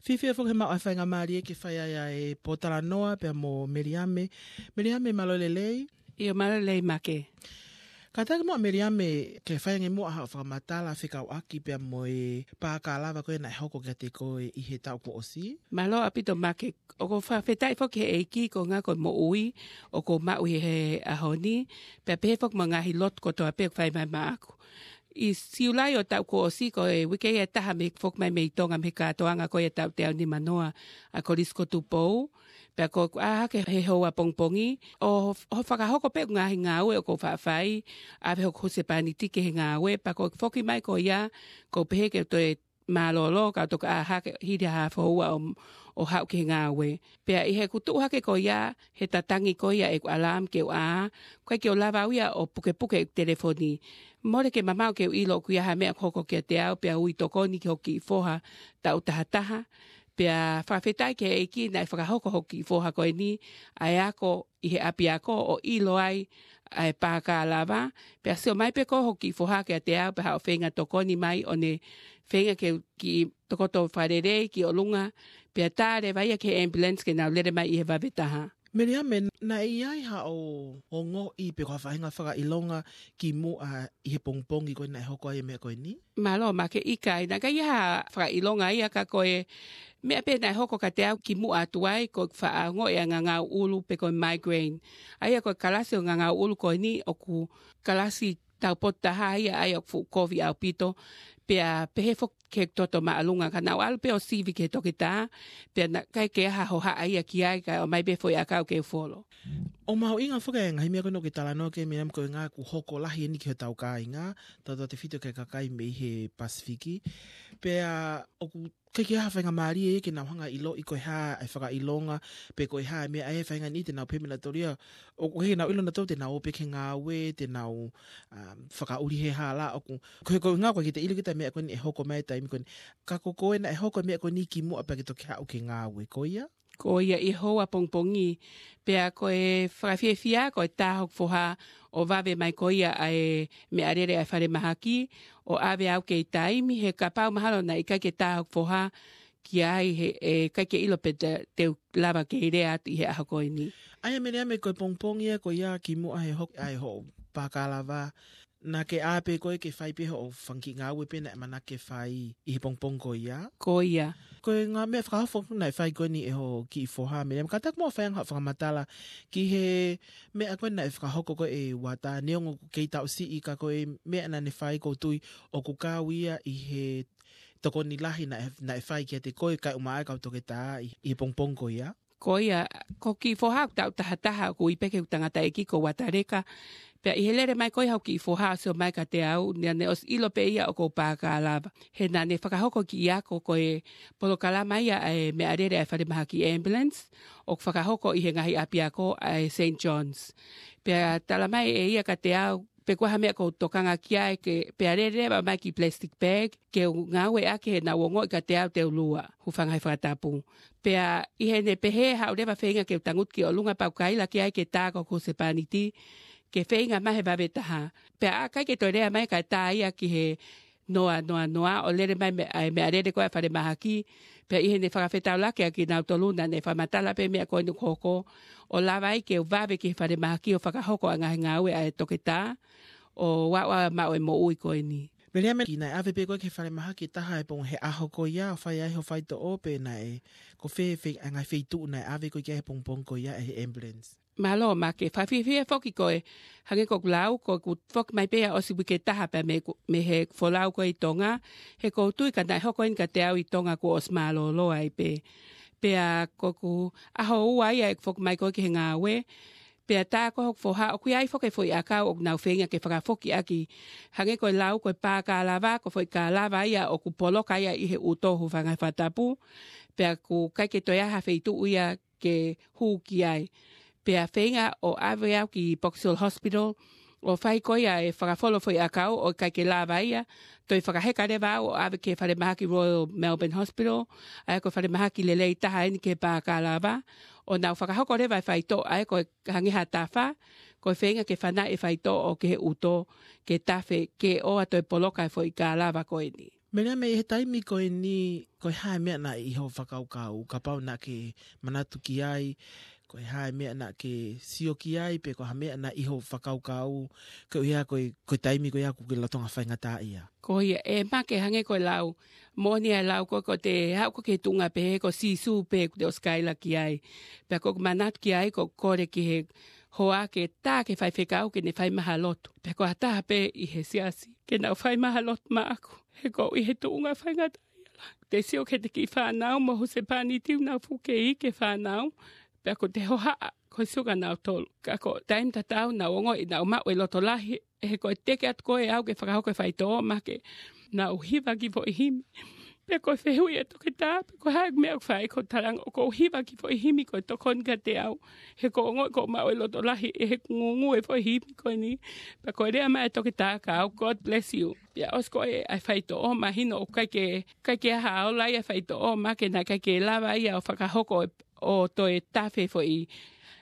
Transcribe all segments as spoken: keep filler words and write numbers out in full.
Fiefia foki he maʻu ʻa e faingamālie ke fai ai ʻa e pōtalanoa pea mo Meliame. Meliame, mālō e lelei. ʻIo, mālō e lelei Make. Kātaki muʻa Meliame, ke fai ange muʻa haʻo fakamatala fekauʻaki pea mo e pākalava ko ē naʻe hoko kiate koe ʻi he taʻu kuo ʻosi. Mālō ʻaupito Make, ʻoku ou fakafetaʻi foki he ʻEiki ko e ngaahi ko e moʻui ʻoku ou maʻu ʻi he ʻaho ni, pea pehē foki mo e ngaahi lotu kotoa pē ʻoku fai mai maʻaku. ʻI Siulai ʻo e taʻu kuo ʻosi, ko e uike ia ʻe taha mei he foki mai mei Tonga mei he kātoanga ko ia ʻo e taʻu teau nimanoa ʻa e Kolisi ko Tupou, pea ko ʻeku ʻā hake he houa pongipongi, ʻo, ʻo fakahoko pē ʻeku ngaahi ngāue ʻoku ou faʻa fai, ʻave hoku husepāniti ki he ngāue, pea ko e foki mai ko ia, ʻoku ou pehē ke toe mālōlō, kau toki ʻā hake hili ha haafe houa ʻo, ʻo haʻu ki he ngāue. Pea ʻi heʻeku tuʻu hake ko ia, he tatangi ko ia ʻeku alarm ke u ʻā, ʻikai ke u lava au ia ʻo pukepuke ʻeku telefoni. Mole ke mamaʻo ke u ʻilo ʻoku ʻi ai ha meʻa ʻoku hoko kiate au, pea ui tokoni ki hoku kiʻi foha taʻu tahataha. Pea fakafetaʻi ki he ʻEiki naʻe fakahoko hoku kiʻi foha ko eni ʻa e ako ʻi he ʻapiako ʻo ʻilo ai ʻa e pākalava. Pea sio mai pē ko hoku kiʻi foha kiate au pea haʻu ʻo feinga tokoni mai ʻo ne feinga ke u kiʻi tokoto fakalelei ki ʻolunga. Pea tā leva ia ki he ambulance ke nau lele mai ʻi he vave taha. Meliame, naʻe ʻi ai haʻo ongoʻi pe ko ha faʻahinga fakaʻilonga kimuʻa ʻi he pongipongi ko ē naʻe hoko ai e meʻa ko eni? Mālō Make, ʻikai, naʻe ʻikai ha fakaʻilonga ia ka ko e meʻa pē naʻe hoko kiate au kimuʻa atu ai, ko e faʻa ongoʻi ʻa e ngangau ʻulu pe ko e migraine. ʻA ia ko e kalasi ʻo e ngangau ʻulu ko eni ʻoku kalasi taupotu taha ia ʻa ia ʻoku fuʻu kovi ʻaupito, pea pehē foki ki he toto māʻolunga ka naʻá ku ʻalu pē ʻo sivi ki he toketā, pea naʻe ʻikai ke ʻi ai ha hohaʻa ia ki ai kae ʻomai pē foʻi ʻakau ke u folo. ʻOku mahuʻinga foki e ngaahi meʻa ko eni ʻoku ke talanoa ki ai Meliame, ko e ʻuhinga ʻoku hoko lahi eni ki hotau kāinga, tautautefito ki he kakai mei he Pasifiki. Pea ʻoku ʻikai ke ʻi ai ha faingamālie ia ke nau hanga ʻo ʻiloʻi ko e hā e fakaʻilonga, pe ko e hā e meʻa ʻa e faʻahinga ni te nau pehē mei nautolu ia, ʻoku ʻikai ke nau ʻilo nautolu te nau ō pē ki he ngāue, te nau, um, fakaʻuli he hala, ʻoku, ko e, ko e ʻuhinga ʻoku ʻikai ke te ʻilo kita e meʻa ko eni ʻe hoko mai he taimi ko eni. Ka ko koe naʻe hoko e meʻa ko eni kimuʻa pea ke toki haʻu ki he ngāue, ko ia? Ko ia ʻi he houa pongipongi, pea ko e fakafiefia ko e tā hoku foha ʻo vave mai ko ia ʻa e meʻalele ʻa e falemahaki, ʻo ʻave au kei taimi, he kapau mahalo naʻe ʻikai ke tā hoku foha ki ai he, ʻe ʻikai ke ʻilo pe te, te u lava ke lea atu ʻi he ʻaho ko eni. ʻA ia Meliame, ko e pongipongi ia ko ia kimuʻa he hoko ʻa e hoʻo pākalava, naʻá ke ʻā pē koe ke fai pē hoʻo fanga kiʻi ngāue pē naʻe ʻamanaki ke fai ʻi he pongipongi ko ia? Ko ia. Ko e ngaahi meʻa fakaofo naʻe fai ko eni ʻe hoʻo kiʻi foha Meliame, kātaki muʻa ʻo fai ange haʻo fakamatala ki he meʻa ko ē naʻe fakahoko ko ē ʻe Uata, neongo ʻoku kei taʻu siʻi ka ko e meʻa naʻá ne fai ʻoku ou tui ʻoku kau ia ʻi he tokoni lahi naʻe, naʻe fai kiate koe kae ʻumaʻā e kau toketā ʻi, ʻi he pongipongi ko ia? Ko ia, ko e kiʻi foha ʻoku taʻu tahataha ʻoku ui pē ki heʻeku tangataʻeiki ko Uata Leka. Pea ʻi he lele mai ko ia hoku kiʻi foha ʻo sio mai kiate au, naʻá ne ʻosi ʻilo pē ia ʻoku ou pākalava. He naʻá ne fakahoko e kiʻi ako ko e polokalama ia ʻa e meʻalele ʻa e falemahaki ambulance, ʻoku fakahoko ʻi he ngaahi ʻapiako ʻa e Saint John's. Pea tala mai ʻe ia kiate au, pe ko e hā e meʻa ʻoku ou tokanga ki ai ke, pea lele leva mai e kiʻi plastic bag, ke u ngāueʻaki he naʻá ku ongoʻi kiate au te u lua, hūfanga he fakatapu. Pea ʻi heʻene pehē haʻu leva ʻo feinga ke u tangutu ki ʻolunga pea u kaila ki ai ke tā ko hoku husepāniti, ke feinga mai he vave taha. Pea ʻikai ke toe lea mai kae tā ia ki he noa, noa, noa, ʻo lele mai mei, ʻa e meʻalele ko ē ʻa e falemahaki, pea ʻi heʻene fakafetaulaki ʻa kinautolu naʻá ne fakamatala pē meʻa ko eni ʻoku hoko, ʻo lava ai ke u vave ki he falemahaki ʻo fakahoko ʻa e ngaahi ngāue ʻa e toketā, ʻo aʻu ʻo maʻu e moʻui ko eni. Meliame, naʻe ʻave pē koe ki he falemahaki ʻe taha he pongipongi he ʻaho ko ia ʻo fai ai hoʻo faitoʻo, pe naʻe, ko fē, fē, ʻa e ngaahi feituʻu naʻe ʻave koe ki ai he pongipongi ko ia ʻe he ambulance? Mālō Make, fakafiefia foki ko e, hangē ko ʻeku lau, ko ʻeku foki mai pē ia ʻosi uike ʻe taha pē mei, mei heʻeku folau ko ē ʻi Tonga, he ʻoku ou tui ka naʻe hoko eni kiate au ʻi Tonga kuo ʻosi mālōlō ai pē. Pea ko ʻeku ʻaho ua ia ʻeku foki mai ko ē ki he ngāue, pea tā ko ē hoku foha, ʻoku ʻi ai foki e foʻi ʻakau ʻoku nau feinga ke fakafoki ʻaki, hangē ko e lau ko e pākalava, ko e foʻi kalava ia ʻoku poloka ia ʻi he ʻuto, hūfanga he fakatapu, pea ʻoku ʻikai ke toe ʻi ai ha feituʻu ia ke hū ki ai. Pea feinga ʻo ʻave au ki Box Hill Hospital, ʻo fai ko ia e fakafolo e foʻi ʻakau ʻo ʻikai ke lava ia, toe fakaheka leva au ʻo ʻave ki he falemahaki Royal Melbourne Hospital, ʻa ia ko e falemahaki lelei taha eni ki he pākalava, ʻo nau fakahoko leva e faitoʻo, ʻa ia ko e hangē ha tafa, ko e feinga ke fanaʻi e faitoʻo ki he ʻuto, ke tafe, ke ʻoua toe poloka e foʻi kalava ko eni. Meʻa mei he taimi ko eni, ko e hā e meʻa naʻe ʻi hoʻo fakakaukau, kapau naʻa ke manatu ki ai, ko e hā e meʻa naʻa ke sio ki ai, pe ko e hā e meʻa naʻe ʻi hoʻo fakakaukau, ko ia ko e, ko e taimi ko ia ʻoku ke lolotonga faingataʻaʻia. Ko ia, ʻe Make, hangē ko e lau, moʻoni ʻa e lau ko ē, ko ʻete haʻu ko ē ki he tuʻunga pehē ko Sīsū pē ʻoku te ʻosi kaila ki ai. Pea ko ʻeku manatu ki ai, ko e kole ki he hoa ke tā ke faifekau ke ne fai mai ha lotu. Pea ko ha taha pē ʻi he siasi ke nau fai mai ha lotu maʻaku. He ʻoku ou ʻi he tuʻunga faingataʻaʻia lahi. Te sio ki heʻete kiʻi fānau mo husepāniti, nau fuʻu kei ʻi he fānau. Pea ʻoku te hohaʻa ko e sio kia nautolu. Ka ko e taimi tatau naʻa nau ongoʻi naʻa nau maʻu e loto lahi, he ko e teke atu ko ē ʻaʻau ke fakahoko e faitoʻo, Make, naʻa ku hiva kiʻi foʻi himi. Pea ko e fehuʻi ʻa e toketā, pe ko e hā e meʻa ʻoku fai, ko e talanga ʻoku ou hiva kiʻi foʻi himi ko e tokoni kiate au. He ʻoku ou ongoʻi ʻoku ou maʻu e loto lahi ʻi heʻeku ngūngū e foʻi himi ko eni. Pea ko e lea mai ʻa e toketā kia au, "God bless you." Pea ʻosi ko ē ʻa e faitoʻo, mahino ʻoku ʻikai ke, ʻikai ke ʻi ai ha ola ia ʻa e faitoʻo, Make, naʻe ʻikai ke lava ia ʻo fakahoko e, ʻo toe tafe foʻi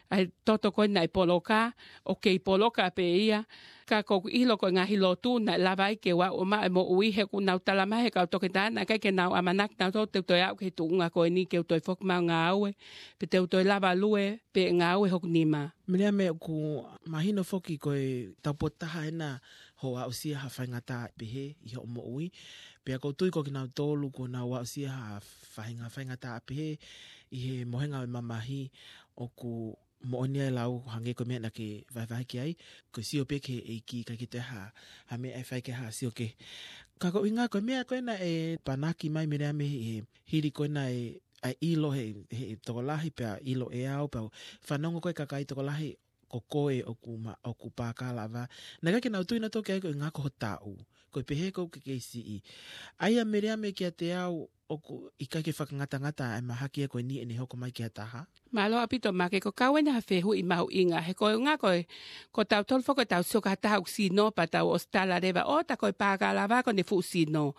ʻa e toto ko ē naʻe poloka, ʻoku kei poloka pē ia. Ka ʻoku ou ʻilo ko e ngaahi lotu naʻe lava ai ke u aʻu ʻo maʻu e moʻui, he ʻoku nau talamai ʻe he kau toketā naʻe ʻikai ke nau ʻamanaki nautolu te u toe aʻu ki he tuʻunga ko eni ke u toe foki mai ʻo ngāue, pe te u toe lava lue, pe ngāue hoku nima. Meʻa mei he ʻoku mahino foki ko e tau potu taha ena hoʻo aʻusia ha faingataʻa pehē ʻi hoʻo moʻui. Pea ʻoku ou tui ko kinautolu kuo nau aʻusia ha faʻahinga faingataʻa pehē ʻi he mohenga ʻo e mamahi, ʻoku moʻoni ʻa e lau hangē ko e meʻa naʻa ke vahevahe ki ai, ko e sio pē ki he ʻEiki, ʻikai ke toe ha, ha meʻa ʻe fai ki ha sio kehe. Ka ko e ʻuhinga ko e meʻa ko ena ʻe panaki mai, meʻa mei he hili ko ena e, ʻa e ʻilo ʻe he, he tokolahi, pea ʻilo ʻe au, pea fanongo ko ē kakai tokolahi ko koe ʻoku ma-, ʻoku pākālava. Naʻe ʻikai ke nau tui nautolu ki ai ko e ʻuhinga ko ho taʻu. Ko e pehē ko ē ʻoku ke kei siʻi. ʻA ia, meʻa mei kiate au, ʻoku ʻikai ke fakangatangata ʻa e mahaki ia ko eni ʻene hoko mai ki ha taha. Mālō ʻaupito, Make, ko e kau ena ha fehuʻi mahuʻinga, he ko e ʻuhinga ko e, ko tautolu foki ʻoku tau sio ki ha taha ʻoku sino pea tau ʻosi tala leva, ʻo tā ko e pākālava ko ʻene fuʻu sino.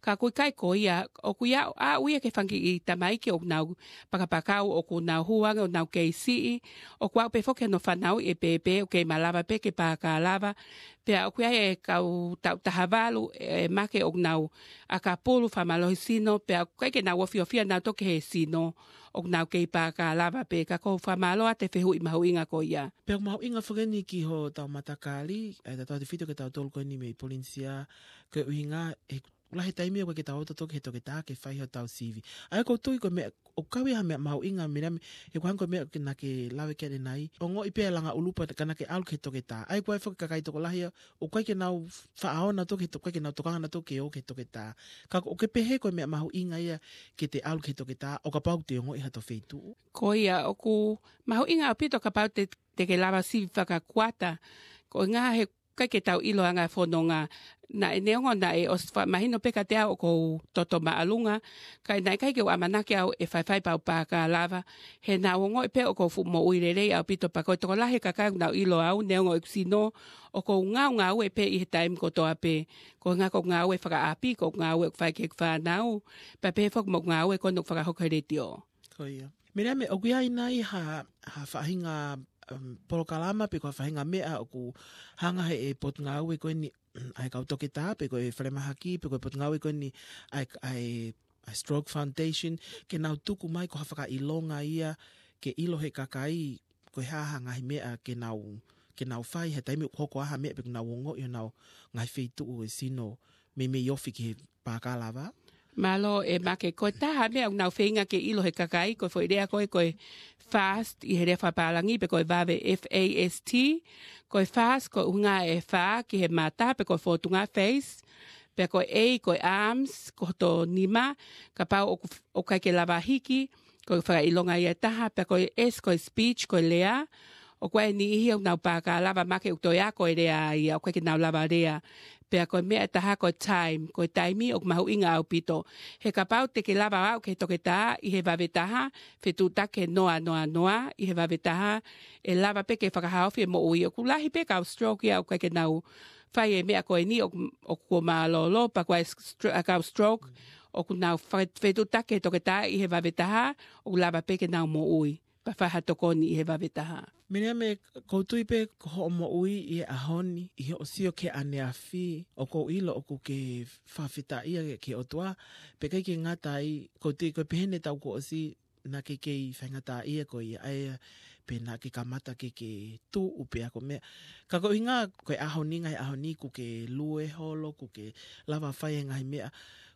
Ka ʻoku ʻikai ko ia, ʻoku ʻi ai, ʻa, ʻoku ʻi ai e kiʻi fanga kiʻi tamaiki ʻoku nau pakapakau, ʻoku nau hū ange ʻo nau kei siʻi, ʻoku aʻu pē foki hono fanauʻi e pēpē, ʻoku kei malava pē ke pākālava, pea ʻoku ʻi ai e kau taʻu taha valu, ʻe Make, ʻoku nau ʻakapulu, fakamālohi sino, pea ʻoku ʻikai ke nau ofiofia nautolu ki he sino, ʻoku nau kei pākālava pē. Ka ʻoku ou fakamālō atu e fehuʻi mahuʻinga ko ia. Pea ʻoku mahuʻinga foki eni ki hotau matakali, ʻa e tautefito kia tautolu ko eni mei Polinisia, ko e ʻuhinga he lahi e taimi ʻoku ʻikai ke tau ō tautolu ki he toketā ke fai hotau sivi. ʻA ia ʻoku ou tui ko e meʻa, ʻoku kau ia ha meʻa mahuʻinga, meʻa mei, he ʻoku hangē ko e meʻa naʻa ke lave ki ai ʻanenai. Ongoʻi pē ʻa e langa ʻulu pea ka naʻa ke ʻalu ki he toketā. ʻA ia ʻoku ʻi ai foki e kakai tokolahi ia ʻoku ʻikai ke nau faʻa ō nautolu ki he to-, ʻikai ke nau tokanga nautolu ke ō ki he toketā. Ka ʻoku ke pehē ko e meʻa mahuʻinga ia ke te ʻalu ki he toketā, ʻo kapau te ongoʻi hato feituʻu. Ko ia, ʻoku mahuʻinga ʻaupito kapau te, te ke lava sivi fakakuata. Ko e ʻuhinga he ʻikai ke tau ʻilo ʻa e anga e fononga. Naʻe neongo naʻe ʻosi fakamahino pē kiate au ʻoku ou toto māʻolunga, ka naʻe ʻikai ke u ʻamanaki au ʻe faifai pea u pākālava. He naʻa ku ongoʻi pē ʻoku ou fuʻu moʻui lelei ʻaupito, pea ko e tokolahi e kakai ʻoku nau ʻilo au, neongo ʻeku sino, ʻoku ou ngaungaue pē ʻi he taimi kotoa pē. Ko e ʻuhinga ko e ngāue fakaʻapi, ko e ngāue ʻoku fai ki heʻeku fānau, pea pehē foki mo e ngāue ko eni ʻoku fakahoko he letiō. Ko ia. Meʻa mei he, ʻoku ʻi ai nai ha, ha faʻahinga, um, polokalama pe ko ha faʻahinga meʻa ʻoku hanga ʻe he potungāue ko eni, ʻa e kau toketā, pe ko e falemahaki, pe ko e potungāue ko eni ʻa e, ʻa e, ʻa e Stroke Foundation, ke nau tuku mai ko ha fakaʻilonga ia, ke ʻilo ʻe he kakai, ko e hā ha ngaahi meʻa ke nau, ke nau fai, he taimi ʻoku hoko ai ha meʻa pe ʻoku nau ongoʻi honau ngaahi feituʻu ʻo e sino, meimei ofi ki he pākālava. Mālō ʻe Make, ko e taha meʻa ʻoku nau feinga ke ʻilo ʻe he kakai, ko e foʻi lea ko ē, ko e FAST, ʻi he lea fakapālangi, pe ko e vave, F A S T, ko e FAST, ko e ʻuhinga e fā ki he mata, pe ko e fōtunga, face, pea ko e A, ko e arms, ko hoto nima, kapau ʻoku, ʻoku ʻikai ke lava hiki, ko e fakaʻilonga ia ʻe taha, pea ko e S, ko e speech, ko e lea, ʻoku ʻi ai e niʻihi ʻoku nau pākālava, Make, ʻoku toe ako e lea ia, ʻoku ʻikai ke nau lava lea. Pea ko e meʻa ʻe taha ko e time, ko e taimi ʻoku mahuʻinga ʻaupito. He kapau te ke lava aʻu ki he toketā ʻi he vave taha, fetuʻutaki he noa noa noa ʻi he vave taha, ʻe lava pē ke fakahaofi e moʻui. ʻOku lahi pē kau stroke ia ʻoku ʻikai ke nau fai e meʻa ko eni ʻoku, ʻoku mālōlō, pea ko e stro-, ʻa e kau stroke, ʻoku nau fa-, fetuʻutaki he toketā ʻi he vave taha, ʻoku lava pē ke nau moʻui. pea fai ha tokoni ʻi he vave taha. Miriame, ʻoku ou tui pē ko hoʻo moʻui ʻi he ʻaho ni, ʻi hoʻo sio ki he ʻaneafi, ʻoku ou ʻilo ʻoku ke fakafetaʻia ki he ʻOtua, pea ʻikai ke ngata ai, ʻoku ou tui ko e pehē ni ʻetau kuo ʻosi, naʻa ke kei faingataʻaʻia koe ia, ʻa ia, pea naʻa ke kamata ke ke tuʻu pē ʻa e meʻa. Ka ko e ʻuhinga, ko e ʻaho ni, ngaahi ʻaho ni, ʻoku ke lue holo, ʻoku ke lava fai e ngaahi meʻa.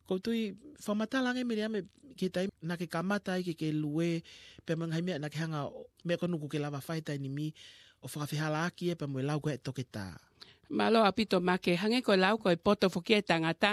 ʻOku ou tui, fakamatala ange Miriame ki he taimi naʻa ke kamata ai ke ke lue, pea mo e ngaahi meʻa naʻa ke hanga ʻo, meʻa ko eni ʻoku ke lava fai he taimi ni, ʻo fakafehalaaki ia pea mo e lau ko ē ʻa e toketā. Mālō ʻaupito Make, hangē ko e lau ko e poto foki ʻa e tangata,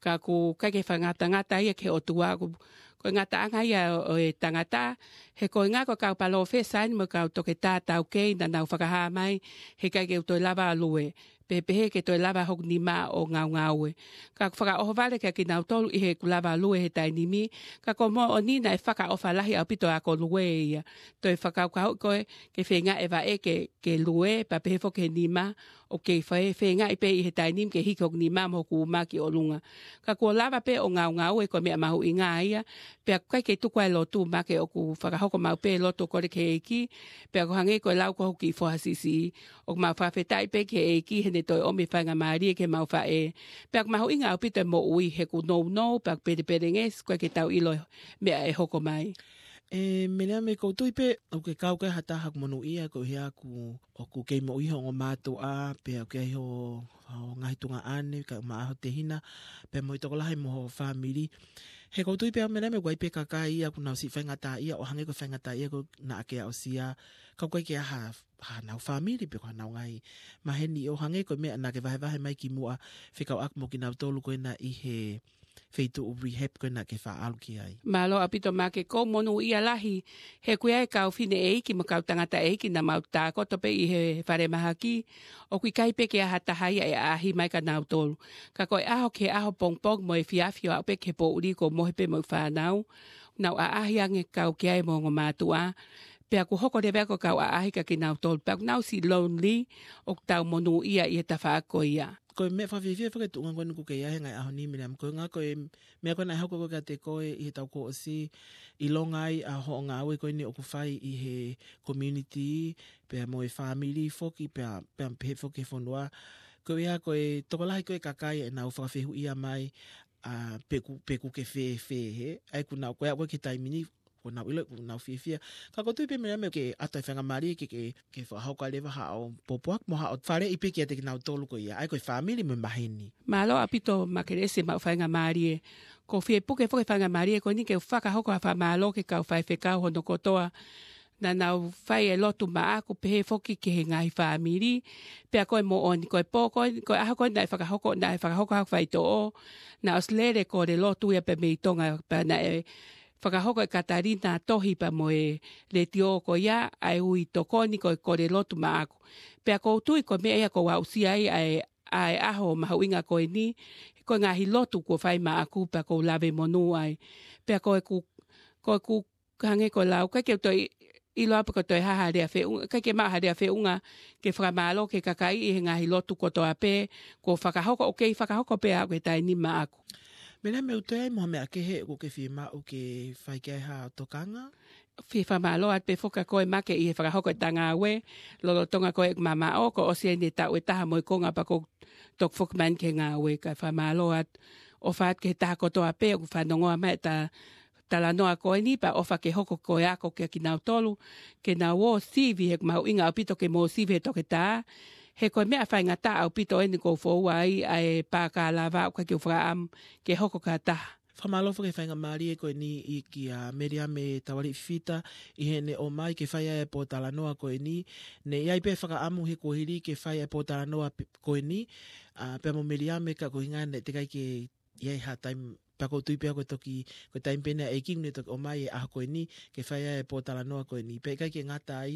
ka ʻoku ʻikai ke fakangatangata ia ki he ʻOtua, ʻoku, ko e ngataʻanga ia ʻo, ʻo e tangata, he ko e ngaahi ko e kau palōfesa eni mo e kau toketā taukei naʻa nau fakahā mai, he ʻikai ke u toe lava ʻo lue, pe pehē ke toe lava hoku nima ʻo ngaungaue. Ka ʻoku fakaʻohovale kia kinautolu ʻi heʻeku lava lue he taimi ni, ka ko e moʻoni naʻe fakaʻofa lahi ʻaupito ʻa e ako lue ia. Toe fakakaukauʻi koe, ke feinga e vaʻe ke, ke lue, pea pehē foki he nima, ʻoku kei fai, feingaʻi pē ʻi he taimi ni ke hiki hoku nima mo hoku uma ki ʻolunga. Ka kuo lava pē ʻo ngaungaue ko e meʻa mahuʻinga ia, pea ʻoku ʻikai ke tuku ʻa e lotu Make ʻoku fakahoko maʻu pē lotu ʻo kole ki he ʻEiki, pea ʻoku hangē ko e lau ko hoku kiʻi foha siʻisiʻi, ʻoku mau fakafetaʻi pē ki he ʻEiki heʻene toe ʻomi e faingamālie ki heʻemau faʻē. Pea ʻoku mahuʻinga ʻaupito e moʻui he ʻoku nounou, pea ʻoku pelepelengesi, ʻoku ʻikai ke tau ʻilo e meʻa ʻe hoko mai. ʻE, Miriame, ʻoku ou tui pē, ʻoku ke kau ki ha taha ʻoku monūʻia, ko ia ʻoku, ʻoku kei moʻui ho ongo mātuʻa, pea ʻoku ʻi ai ho, ho ngaahi tuongaʻane, kae ʻumaʻā ho tehina, pea mo e tokolahi mo ho fāmili. He ʻoku ou tui pē au Miriame, ʻoku ʻi ai pē kakai ia ʻoku nau siʻi faingataʻaʻia, ʻo hangē ko e faingataʻaʻia ko ē naʻa ke aʻusia, ka ʻoku ʻikai ke ʻi ai ha, hanau fāmili, pe ko hanau ngaahi maheni ʻo hangē ko e meʻa naʻa ke vahevahe mai kimuʻa, fekauʻaki mo kinautolu ko ena ʻi he feituʻu rehab ko ena ke faʻa ʻalu ki ai. Mālō ʻaupito Make, ʻoku ou monūʻia lahi, he ʻoku ʻi ai e kau fineʻeiki mo e kau tangataʻeiki naʻa mau tākoto pē ʻi he falemahaki, ʻoku ʻikai pē ke ʻi ai ha taha ia ʻe ʻaʻahi mai kia nautolu. Ka ko e ʻaho ki he ʻaho pongipongi mo e efiafi ʻo aʻu pē ki he poʻuli ʻoku ou mohe pē mo e fānau, nau ʻaʻahi ange kau ki ai mo e ongo mātuʻa, pea ʻoku hoko leva ia ko e kau ʻaʻahi kia kinautolu, pea ʻoku nau siʻi lonely, ʻoku tau monūʻia ʻi he tafaʻaki ko ia. Ko e meʻa fakafiefia foki e tuʻunga ko eni ʻoku ke ʻi ai he ngaahi ʻaho ni Miriame, ko e ʻuhinga ko e meʻa ko ena ʻe hoko ko ē kiate koe ʻi heʻetau kuo ʻosi ʻilonga ai ʻa hoʻo ngāue ko eni ʻoku fai ʻi he community, pea mo e fāmili foki, pea, pea pehē foki he fonua. Ko ia ko e tokolahi ko ē kakai ʻenau fakafehuʻia mai, ʻa, pe ʻoku, pe ʻoku ke fēfē, he? ʻA ia ʻoku nau, ko e aʻu ko ē ki he taimi ni, ʻoku nau ʻilo, ʻoku nau fiefia. Ka ʻoku ou tui pē Miriame ke ʻoatu e faingamālie ke, ke, ke fakahoko leva haʻo pōpoaki mo haʻo faleʻi pē kiate kinautolu ko ia, ʻa ia ko e fāmili mo e maheni. Mālō ʻaupito Makelesi maʻu faingamālie. ʻOku ou fie puke foki e faingamālie ko eni ke u fakahoko ha fakamālō ki he kau faifekau hono kotoa. Naʻa nau fai e lotu maʻaku pehē foki ki he ngaahi fāmili. Pea ko e moʻoni, ko e pō ko ē, ko e ʻaho ko ē naʻe fakahoko, naʻe fakahoko haʻaku faitoʻo. Naʻe ʻosi lele kole lotu ia pē mei Tonga, pea naʻe fakahoko ʻe Katalina tohi pea mo e letiō ko ia, ʻa e ui tokoni ko e kole lotu maʻaku. Pea ʻoku ou tui ko e meʻa ia ʻoku ou aʻusia ai ʻa e, ʻa e ʻaho mahuʻinga ko eni, ko e ngaahi lotu kuo fai maʻaku pea ʻoku ou lave monū ai. Pea ko ʻeku, ko ʻeku hangē ko e lau, ʻikai ke u toe ʻilo pe ʻoku toe ʻi ai ha lea feʻunga, ʻikai ke maʻu ha lea feʻunga ke fakamālō ki he kakai ʻi he ngaahi lotu kotoa pē, kuo fakahoko, ʻoku kei fakahoko pē ʻa e taimi ni maʻaku. Miriame, ʻoku toe ʻi ai mo ha meʻa kehe ʻoku ke fiemaʻu ke fai ki ai ha tokanga? Fie fakamālō atu pē foki kia koe Make ʻi he fakahoko ʻeta ngāue, lolotonga ko ē ʻeku mamaʻo, kuo ʻosi eni e taʻu ʻe taha mo e konga pea ʻoku ou toki foki mai eni ki he ngāue, kae fakamālō atu, ʻofa atu ki he taha kotoa pē ʻoku fanongoa mai ʻeta talanoa ko eni pea ʻofa ke hoko ko e ako kia kinautolu, ke nau ō sivi he ʻoku mahuʻinga ʻaupito ke mou sivi he toketā, he ko e meʻa faingataʻa ʻaupito eni ʻoku ou foua ai ʻa e pākalava ʻoku ʻikai ke u fakaʻamu ke hoko ki ha taha. Fakamālō foki he faingamālie ko eni ʻi kia Miriame Tavaliʻi Fifita ʻi heʻene ʻomai ke fai ai e pōtalanoa ko eni. Naʻe ʻi ai pē fakaʻamu he kuohili ke fai e pōtalanoa pe-, ko eni, ʻa, pea mo Miriame ka ko e ʻuhinga naʻe teʻeki ai ke ʻi ai ha taimi, pea ʻoku ou tui pē au ko e toki, ko e taimi pē eni ʻa e ʻEiki naʻe toki ʻomai e ʻaho ko eni, ke fai ai e pōtalanoa ko eni. Pea ʻikai ke ngata ai,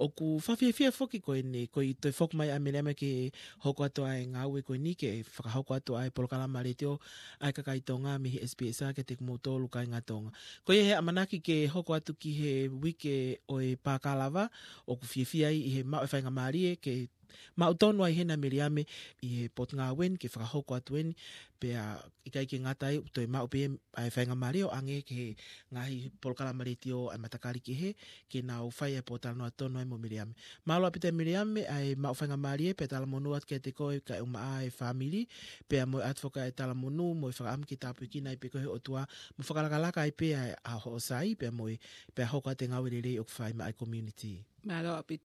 ʻoku fakafiefia foki ko eni, ko e toe foki mai ʻa Miriame ke hoko atu ʻa e ngāue ko eni, ke fakahoko atu ʻa e polokalama letiō ʻa e kakai Tonga mei he S P S kiate kimoutolu kāinga Tonga. Ko ia he ʻamanaki ke hoko atu ki he uike ʻo e pākalava, ʻoku fiefia ai ʻi he maʻu e faingamālie ke maʻu tonu ai hena Miriame ʻi he potungāue ni ke fakahoko atu eni, pea ʻikai ke ngata ai, toe maʻu pē ʻa e faingamālie ʻo ʻange ki he ngaahi polokalama letiō ʻa e matakali kehe, ke nau fai ʻa e pōtalanoa tonu ai mo Miriame. Mālō ʻaupito Miriame, ʻa e maʻu faingamālie pea talamonū atu kiate koe kae ʻumaʻā e fāmili, pea mo e ʻatu foki ʻa e talamonū mo e fakaʻamu ke tāpuekina ai pē koe he ʻOtua, mo fakalakalaka ai pē ʻa e, ʻa hoʻo sai, pea mo e, pea hoko atu e ngāue lelei ʻoku fai maʻa e community. Mālō ʻaupito.